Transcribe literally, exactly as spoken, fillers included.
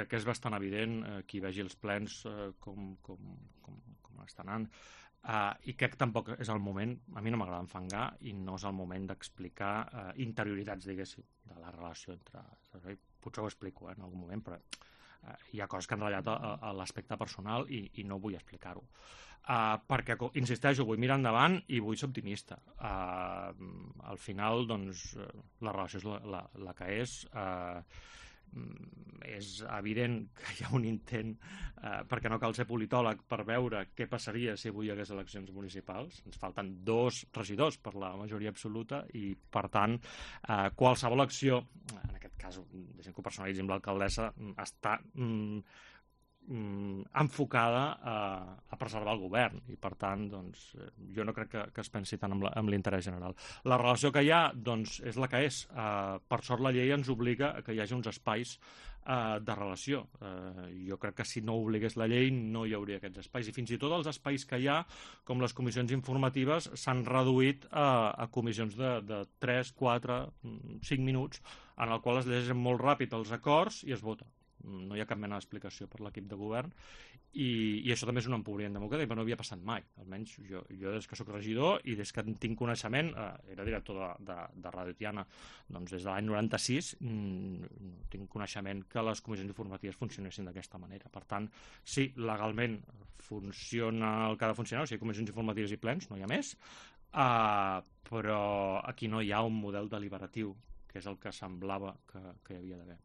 crec que és bastant evident eh, qui vegi els plens eh, com, com, com, com estan anant. Uh, I crec que tampoc és el moment, a mi no m'agrada enfangar i no és el moment d'explicar uh, interioritats, diguéssim, de la relació entre... Potser ho explico eh, en algun moment, però uh, hi ha coses que han ratllat a, a l'aspecte personal i, i no vull explicar-ho. Uh, perquè, insisteixo, vull mirar endavant i vull ser optimista. Uh, al final, doncs, la relació és la, la, la que és... Uh, és evident que hi ha un intent eh, perquè no cal ser politòleg per veure què passaria si avui hi hagués eleccions municipals. Ens falten dos regidors per la majoria absoluta i per tant eh, qualsevol acció, en aquest cas deixem que ho personalitzi amb l'alcaldessa, està mm, mm, enfocada a, a preservar el govern i per tant doncs, jo no crec que, que es pensi tant amb l'interès general. La relació que hi ha doncs, és la que és. Uh, per sort la llei ens obliga a que hi hagi uns espais uh, de relació. Uh, jo crec que si no obligués la llei no hi hauria aquests espais i fins i tot els espais que hi ha, com les comissions informatives, s'han reduït a, a comissions de, de tres, quatre, cinc minuts en el qual es llegeixen molt ràpid els acords i es vota. No hi ha cap mena d'explicació per l'equip de govern i, i això també és un empobriment democràtic, però no havia passat mai, almenys jo, jo des que sóc regidor i des que en tinc coneixement, eh, era director de, de, de Radio Tiana, doncs des de l'any noranta-sis mmm, tinc coneixement que les comissions informatives funcionessin d'aquesta manera. Per tant, sí, legalment funciona el que ha de funcionar, o sigui, comissions informatives i plens, no hi ha més, eh, però aquí no hi ha un model deliberatiu, que és el que semblava que, que hi havia d'haver.